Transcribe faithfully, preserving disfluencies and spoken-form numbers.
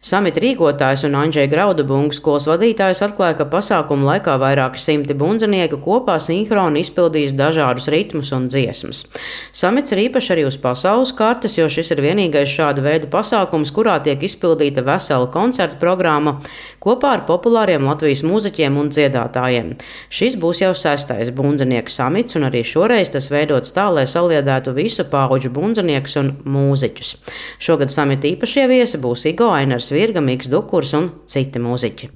Samita rīkotājs un Andžeja Graudabunga skolas vadītājs atklāja, ka pasākumu laikā vairāki simti bundzinieki kopā sinhroni izpildīs dažādus ritmus un dziesmas. Samits ir īpašs arī uz pasaules kartes, jo šis ir vienīgais šāda veida pasākums, kurā tiek izpildīta vesela koncerta programma kopā ar populāriem Latvijas mūziķiem un dziedātājiem. Šis būs jau sestais bundzinieku samits, un arī šoreiz tas veidots tā, lai saliedētu visu paudžu bundziniekus un mūziķus. Šogad samita īpašie viesi būs Igo, Ainars Virga, Miks Dukurs un citi mūziķi.